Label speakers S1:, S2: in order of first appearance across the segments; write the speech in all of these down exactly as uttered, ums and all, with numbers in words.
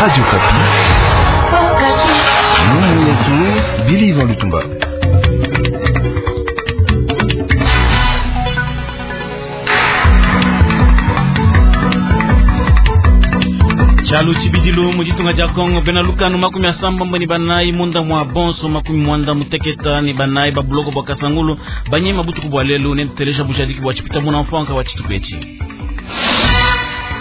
S1: Radio Okapi.
S2: Mumu yetu Bili Ivan Lutumba.
S3: Chalu chibidilu mujitunga ja Kongo bena lukanu makumi asambombo ni banayi munda mwa bonso makumi mwanda muteketa ni banayi ba buloko bwa Kasangulu banyema butuku bwa lelu ne tutelesha bushadiki bwa chipita muna mfanka wa chitupechi.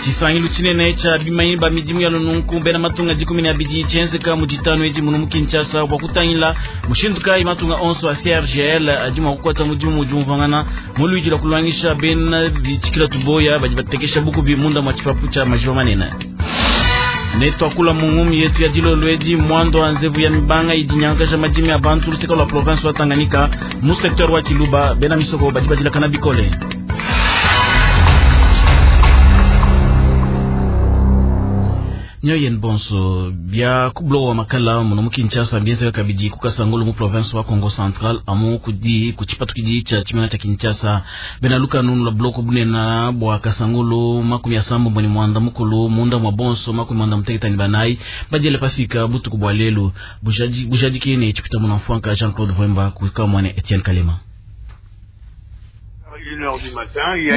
S3: Chisangilu chinene cha bimanyi ba midimu ya lununku bena matunga dikumi na abidi chenzeka mujitano edi muno mu Kinshasa bwa kutangila mushindu kayi matunga onso a C R G L adi mwa kukwata mudimu mujumvangana muluiji la kulwangisha bena bichikila tuboya badi batekesha bukubi munda mwa chipapu cha majiba manene. Netwakula mungumi yetu ya dilolo edi mwando wa nzevu ya mibanga idinyangasha madimi ya bantu luseka lwa province wa Tanganyika mu secteur wa Kiluba bena misoko badi badilakana bikole. Nyoyen bonso bia kublo wa makala muno mu Kinshasa bienze kabidi kukasangulu mu province wa Congo Central amu kudi kuchipatu kidi cha chimena cha Kinshasa bena luka nunu la bloko bunena bwa kasangulu makumi asambo ni mwanda mukulu munda mwa bonso makumi mwanda muteketa ni banai bajele pasika butuku bwa lelu bujaji bujaji kene chipita muna mfwanka Jean-Claude Vwemba kuka mwane Etienne Kalema.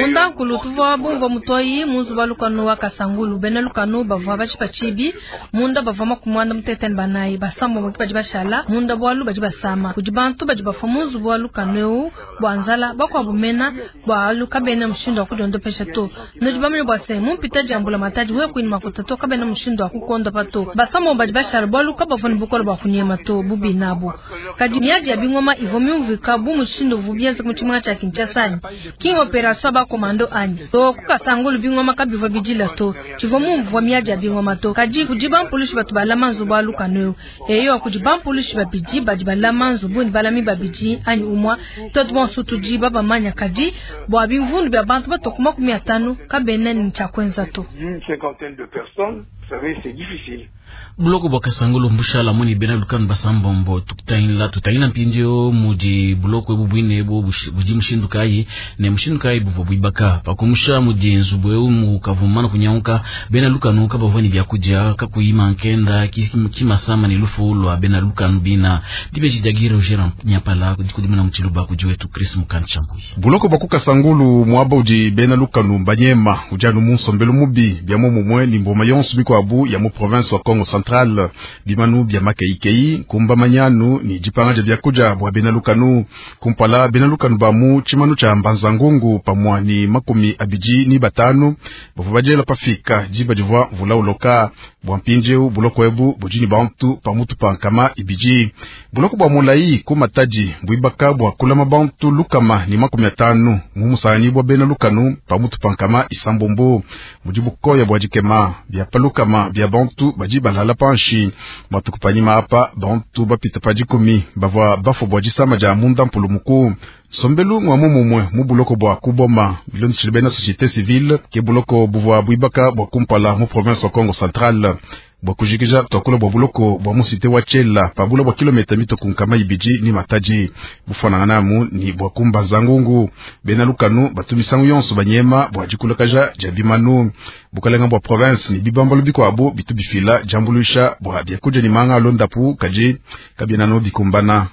S4: Munda nkulu tuvua bumvua mutoyi munzu wa lukanu wa Kasangulu bena lukanu bavua batshipa tshibi munda bavua makumwanda muteteni banayi basambo moki badi bashala munda bwalu badi basama kudi bantu badi bafua munzu wa lukanu eu bua nzala bakuabu mena bwalu kabena mushindu wa kudiondopesha to nudi bamanye bua se mumpita diambula matadi we kuini makuta to kabena mushindu wa kukondopa to basambo badi bashala bwalu kabavua ne bukole bua kunyema to bubi nabo kadi miadi ya bingoma ivua miumvika bu mushindu uvu bienza mu tshimenga tshia Kinshasa King operation ba komando anyi to kukasangulu bingoma kabivwa bidila to chivwa mumvwa miadi ya bingoma to kadi kudi bampulushi batu balama nzubu alukanu eyo kudi bampulushi babidi badi balama nzubu ni balami babidi anyi umwa to bonso tudi babamanya kadi bwa bimvundu bya bantu batokuma makumi atano kabena ni cha kwenza to
S5: une cinquantaine de personnes, vous savez, c'est difficile.
S3: Buloko bwa Kasangulu mbushala muni bena lukanu basambombo tutayila tutayila mpindio mudi buloko ebu bwine ebu budi mushindu kayi ne mushindu kayi buvua buibaka pakumusha mudi nzubu eu mukavumana kunyauka bena lukanu kabavua ni byakudia kakuyima nkenda kimasama ni lufu lwa bena lukanu bina dibeji dia Roger Nyapala kudimina muchiluba kujiwetu Chris Mukanchambui.
S6: Buloko bwa Kasangulu mwaba udi bena lukanu banyema ujanu munsombelu mubi bya momumwe ni mboma yonso bikwabu ya mu province wa Kongo Central bimanu bya makeikei kumba manyanu ni jipanga ja byakuja bwa bena lukanu kumpala bena lukanu bamu chimanu cha mbanzangungu pamwa ni makumi abiji ni batanu bavua bajela pafika jiba jivwa mvula uloka bwa mpinjeu buloko ebu bujini bantu pamutu pa nkama ibiji buloko bwa mulayi kumataji bwibaka bwa kulama bantu lukama ni makumi atanu mumusani bwa bena lukanu pamutu pa nkama isambombo mujibukoya bwa jikema bya palukama bya bantu baji balala panshi matukupanyima apa bantu bapita pa dikumi bavua bafua bwa disama dia munda mpulumuku sombelu ngwa mumumwe mu buloko bwa kuboma bilondeshile bena société civile ke buloko buvua buibaka bwa kumpala mu province wa Kongo Central bwa kujikija twakula bwa buloko bwa musite wa Tshela pabula bwa kilomita mito kunkama ibiji ni mataji bufananganamu ni bwa kumbanza ngungu bena lukanu batumisangu yonso banyema bwa dikulakaja dia bimanu bukalenga bwa province ni bibambalo bikwabu bitu bifila jambulusha bwa byakudia ni manga alondapu kaji kabienano bikumbana.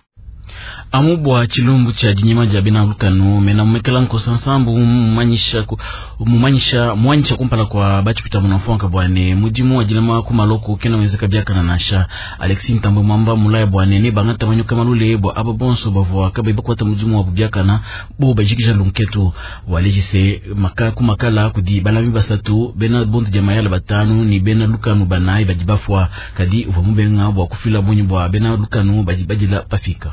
S3: Amu bwa chilumbu cha dinyema dia bena lukanu mena mumekela nkosa nsambu mumanyisha mumanyisha mwanyisha kumpala kwa bachipita munafonka bwane mudimu wa dilama kumaloko kena wenzeka biakana nasha Alexis Ntambwe Mwamba mulaya bwane ne bangata manyuka malule bwa aba bonso bavua kabe bakwata mudimu wa bubiakana bo bajikisha lunketu walejise maka kumakala kudi balami basatu bena bondu dia mayala batanu ni bena lukanu banayi badi bafwa kadi uvua mubenga bwa kufila bunyi bwa bena lukanu badi badila pafika.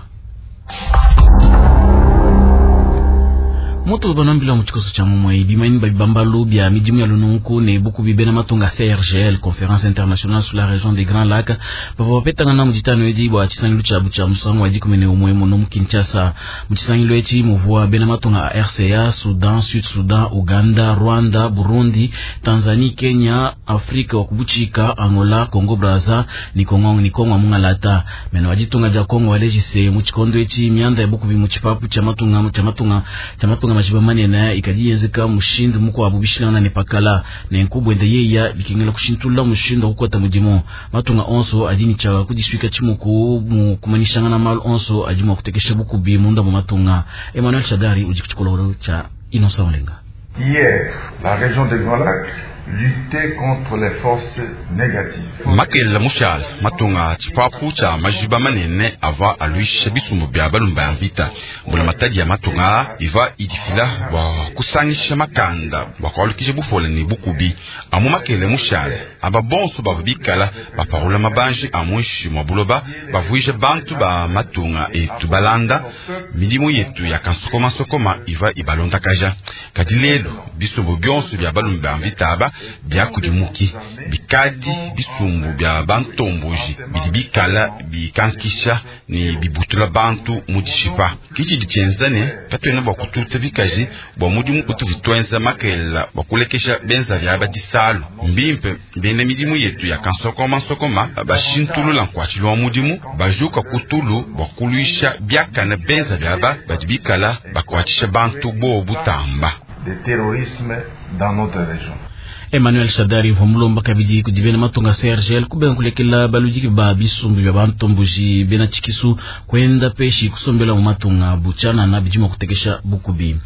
S3: Moto banambila mu chikoso cha mumwe bimanyi babibambalu bya midimu ya lununku ne bukubi bena matunga C R G L Conférence Internationale sur la région des Grands Lacs bavua bapetangana mu ditano edi bua tshisangilu tshiabu tshia musangu wa dikumi ne umwe muno mu Kinshasa. Mu tshisangilu etshi muvua bena matunga a R C A, Soudan, Sud Sudan, Uganda, Rwanda, Burundi, Tanzanie, Kenya, Afrika wa kubuchika, Angola, Congo Brazza ni Kongo ni Kongo mungalata. Mena wajitunga ja Kongo walejise mu chikondo etshi mianda ya bukubi mu tshipapu tshia matunga tshia matunga tshia matunga majiba manene ikadi yenzeka mushindu mukuabu bishilangana ne pakala nenku bwende yeya bikengela kushintulula mushindu wa kukwata mudimu matunga onso adi ni tsha kudisuika tshimuku mu kumanyishangana malu onso adi mua kutekesha bukubi munda mu matunga. Emmanuel Chadari udi kutshikololo tsha Innocent Olenga.
S1: Hier, la région des Grands Lacs luttait contre les forces négatives.
S7: Makelela mushala matunga tshipapu tsha majiba manene ava aluisha bisumbu bya balumba ya mvita mbula matadi ya matunga iva idifila bua kusangisha makanda bua kualukisha bufola ne bukubi amu makelela mushala aba bonso bava bikala baparula mabanji a muinshi mua buloba bavuija bantu ba matunga etu balanda midimu yetu ya kansokomasokoma iva ibalondakaja kadi lelo bisumbu bionso bya balumba ya mvita aba byakudimuki bikadi bisumbu bya bantomboji bidi bikala bikankisha ne bibutula bantu mu dishipa kichi ditshenza ne katuena bua kututa bikaji bua mudimu utuvu tuenza makelela bua kulekesha benza bya badisalu mbimpe bena midimu yetu ya kansokomasokoma bashintulula nkuatshilo wa mudimu bajuka kutulu bua kuluisha biakana benza byaba badi bikala bakuatshisha bantu bo butamba
S1: de terrorisme dans notre région.
S3: Emmanuel Shadari vomulomba kabidi kudibena matunga C R G L kubenga kulekela baludiki ba bisumbu bya bantomboji bena tshikisu kwenda peshi kusombela mu matunga buchana na bidima kutekesha bukubi.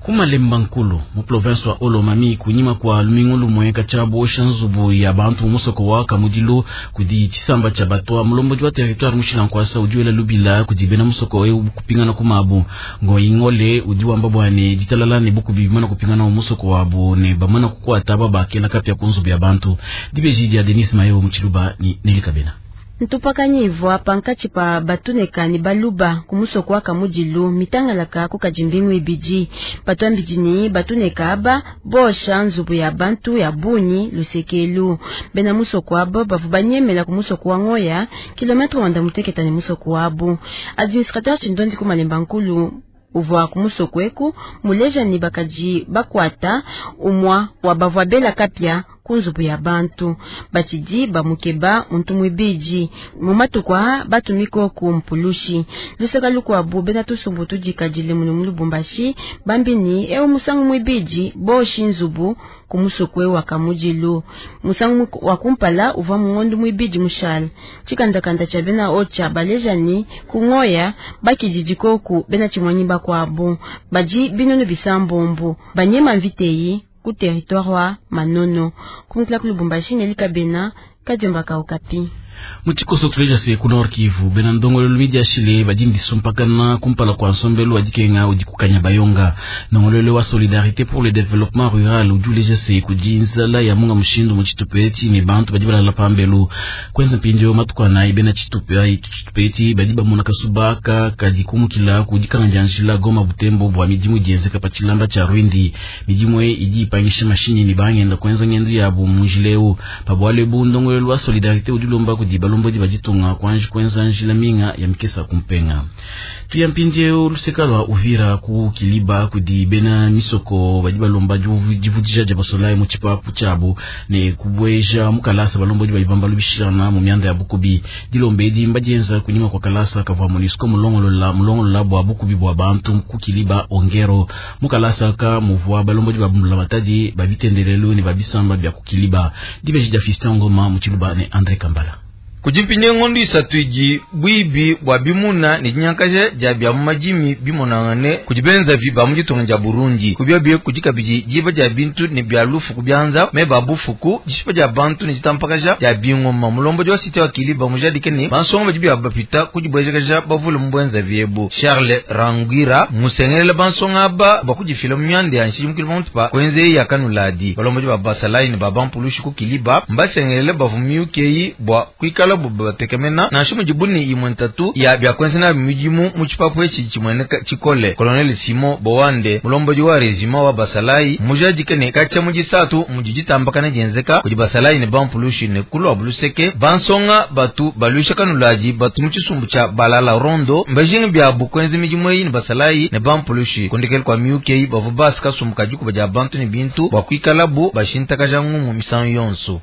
S3: Kumalemba nkulu mu province wa Olomami kunyima kwa lumingu lumwe cha bosha nzubu ya bantu musoko wa Kamudilo kudi chisamba cha batwa mulomboji wa territoire mushila nkwasa udiwela lubila kudibena musoko eu kupingana kumabu ngoingole udiwamba bwane ditalala ne bukubi bimana kupingana musoko wabo ne bamana kukwata babakela kapya kunzubu ya bantu dibeji dia Denis Mayo muchiluba ni Nelikabena.
S8: Ntupakanyivwa pankatshi pa batuneka ni baluba kumusoko wa Kamudilu mitangalaka kukajimbingu ibidi patwambidini batuneka aba bosha nzubu ya bantu ya bunyi lusekelu bena musoko abo bavu banyemela kumusoko wa ngoya kilometre wanda muteketa ni musoko wabo administrateur chindondi kumalemba nkulu uvwa kumusoko eku muleja ni bakaji bakwata umwa wa bavwa bela kapya kunzubu ya bantu batidi bamukeba muntu mwibiji mumatukwa batumiko ku mpulushi luseka lukwabu bena tusumbu tudikadile munu mulubumbashi bambini eu musangu mwibiji boshi nzubu kumusokwe wa Kamudilu musangu wa kumpala uvwa mungondo mwibiji mushala chikandakanda cha bena ocha balejani kungoya bakijijiko ku bena chimwanyi bakwabo baji binono bisambombo banyema mviteyi ku territoire wa Manono kumutla ku Lubumbashi Nelikabena Kadiomba Kaukapi.
S3: Muchikoso tuleja se ku Nord Kivu bena ndongolelo midiashile badindi sumpakana kumpala kwa nsombelu wadikenga udikukanya bayonga ndongolelo wa solidarité pour le développement rural ujuleja se kudinzala ya munga mushindu muchitupeti ni bantu badi balala pambelu kwenza mpindio matukwa na bena chitupe chitupeti badi bamona kasubaka kadi kumukila kudikanga janjila Goma Butembo bwa midimu dienzeka pachilamba cha Rwindi midimu idi ipangisha mashini ni bangenda kwenza ngendo yabo mujileu pabwale bu ndongolelo wa solidarité udulomba kudi balombo di bajitunga kwanji kwenza njila minga ya mikesa kumpenga tuyampindie luseka lwa Uvira ku Kiliba kudi bena misoko badi balomba divudija dia basolai mu tshipapu tshiabu ne kubweja mukalasa balombo di balibamba lubishana mu mianda ya bukubi dilombe edi mbadienza kunyima kwa kalasa kavua MONUSCO mulongolola mulongolola bua bukubi bua bantu ku Kiliba ongero mukalasa ka muvua balombo di babumula batadi babitendelelu ne babisamba bia ku Kiliba dibeji dia Fiston Ngoma mu Tshiluba ne André Kambala.
S9: Kujipinye ngondo isatu iji bwibi bwa bimuna ni dinyankaje dia bya mumajimi bimonangane kujibenza vi ba mujitonga ja Burundi kubya kujikabiji jiba dia bintu ne bya lufu kubyanza me babufuku jishipa dia bantu ne jitampakaja dia bingoma mulombo wa site wa Kiliba mujadike ni bansonga baji bya bapita kujibwejekaja bavule mbwenza vyebu Charles Rangira musengelela bansonga aba bakujifila myande ya nshiji mukili pa kwenze ya kanuladi balombo ba basalai ne babampulushi ku Kiliba mbasengelela bavumiukeyi bwa kuikala batekemena nansha mujibuni imwe ntatu ya byakwenza na mijimu mu tshipapu etshi tshimweneka tshikole Colonel Simon Bowande mulomboji wa regiment wa basalai mujadike ne katshia mujisatu mujijitambakana dienzeka kudi basalai ne bampulushi ne kulwa buluseke bansonga batu balusha kanulaji batu mu tshisumbu tshia balala rondo mbajinga byabu kwenza mijimu eyi ne basalai ne bampulushi kondekele kwa miukeyi bavu basi kasumbu kadikuba dia bantu ne bintu bua kuikalabu bashintakaja ngumu misangu yonso.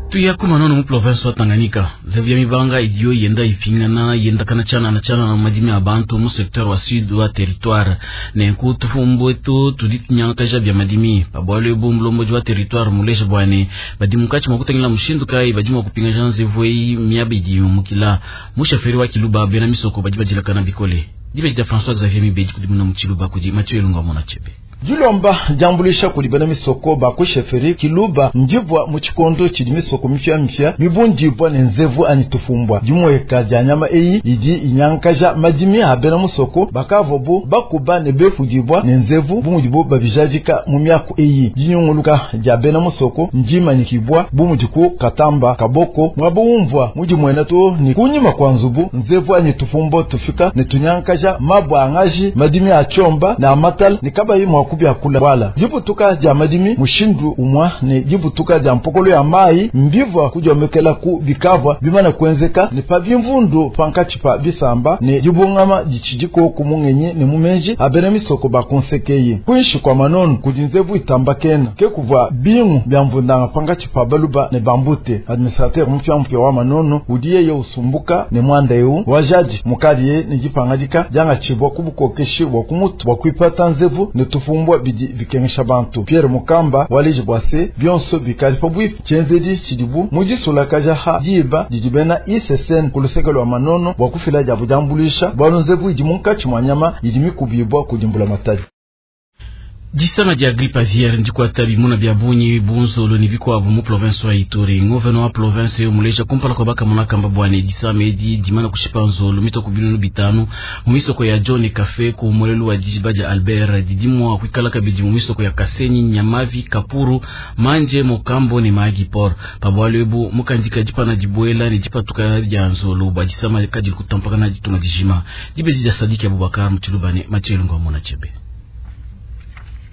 S3: Tuya kuma nono mu province wa Tanganyika nzevu ya mibanga idiyo yenda ipingana yenda kana chana na chana na madimi ya bantu mu secteur wa sud wa territoire nenku tufumbwe tu tudi tunyankaja bya madimi pabwalo ebu mulomboji wa territoire mulesha bwane badi mukachi mwakutangila mushindu kai badi mwakupinga nzevu eyi miaba idi mukila mushaferi wa Kiluba bena misoko badi badilakana bikole dibeji dia François Xavier Mibeji kudimuna mu Chiluba kudi Mathieu Elunga mona chebe.
S10: Dilomba diambulisha kudi bena misoko ba kusheferi Kiluba ndivwa mu tshikondo tshidi misoko mifia-mifia mibundibwa ne nzevu anyi tufumbwa dimweka dia nyama eyi idi inyankaja madimi a bena musoko bakavobu bakuba ne befudibwa ne nzevu bumudibu babijadika mu miaku eyi dinyunguluka dia bena musoko ndimanyikibwa bumudi ku Katamba Kaboko mwabo umvwa mudimwena to ni kunyima kwa nzubu nzevu anyi tufumbwa tufika ne tunyankaja mabwa angaji madimi a chomba na amatala ne kabayi mwa kubyakula wala dibutuka dia madimi mushindu umwa ne dibutuka dia mpokolo ya mai mbivwa kudiomekela ku bikavwa bimana kuenzeka ne pa bimvundu pankatshi pa bisamba ne dibungama ditshidiko ku mungenyi ne mumenji abena misoko bakonsekeye kuinshi kwa manono kudi nzevu itambakena ke kuvwa bingu bya mvundanga pankatshi pa baluba ne bambute administrateur mupya wa manono udi yeye usumbuka ne mwanda eu wajadi mukadiye ne dipangadika diangatshibwa ku bukokeshi bwa kumutu bwa kuipata nzevu ne tufumbwa bidi bikengesha bantu Pierre Mukamba waleji bwase bionso bikali pa bwipi tshenzedi tshidibu mudisulakaja ha diba didi bena I C S N ku luseke lwa manono bwa kufila diabu diambulisha bwalu nzevu idi munkatshi mwa nyama idi mikubibwa kudimbula matadi.
S3: Disama dia grippe aviaire ndikwata bimuna bya bunyi bunzolo ni bikwabu mu province wa Ituri ngouveno wa province yo muleja kumpala kwa baka munakamba bwane disama edi dimana kushipa nzolo mitoko binunu bitanu mu misoko ya John Cafe ku mulelu wa dijiba dia Albert didimwa kwikala kabidi mu misoko ya Kasenyi Nyamavi Kapuru Manje Mokambo ne Magi Port pabwalo ebu mukandika dipana dibwela ne dipatuka dia nzolo bwa disama kadili kutampakana ditunga dijima dibezi dia Sadiki Abubakar Mutshilubane Mathieu Ngwa Mona Chebe.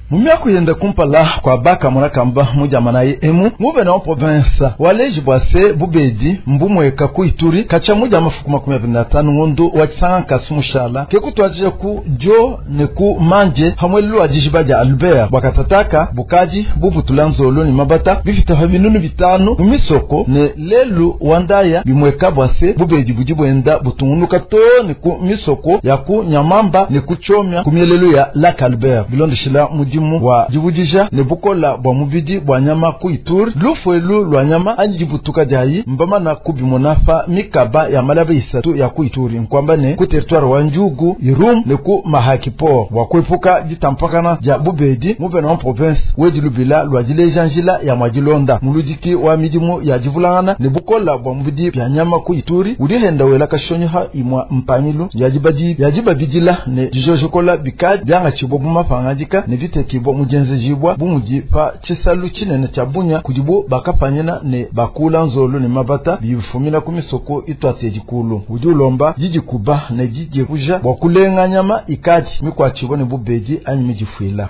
S10: Mumia kuyenda kumpala kwa baka munakamba mujamanayi emu nguvena wa province waleji bwase bubedi mbumweka ku Ituri kacha muja mafuku makumi abiri na tano ngondo wa chisanga nkasu mushala ke kutwajija ku jo ne ku manje hamwe lwa dijiba dia Albert bwakatataka bukaji bubutula nzolo ni mabata bifita pa binunu bitano mu misoko ne lelu wandaya bimweka bwase bubedi budi bwenda butungunuka to ne ku misoko ya ku Nyamamba ne ku Chomya ku mielelu ya Lac Albert bilondeshela mudimu wa dibudija ne bukola bwa mubidi bwa nyama ku Ituri lufuelu lwa nyama anyi dibutuka diayi mbamana kubimona fa mikaba ya malaba isatu ya ku Ituri nkwamba ne ku territoire wa Njugu Irum ne ku Mahaki Port wa kwepuka ditampakana dia bubedi muvena wa province wedi lubila lwa dileja njila ya mwadilonda muludiki wa midimu ya divulangana ne bukola bwa mubidi bya nyama ku Ituri udihenda wela kashonyoha imwa mpangilu ya dibadi ya dibabidila ne dijojokola bikadi byanga tshibo bumapangandika ne viteki bo mujenzejibwa bumudi pa tshisalu tshinene tshia bunya kudibo bakapanyina ne bakula nzolo ne mabata bifumina ku misoko itwate dikulu udi ulomba didikuba ne didikuja bwa kulenga nyama ikadi mikwatshibo ne bubedi anyi midifuila.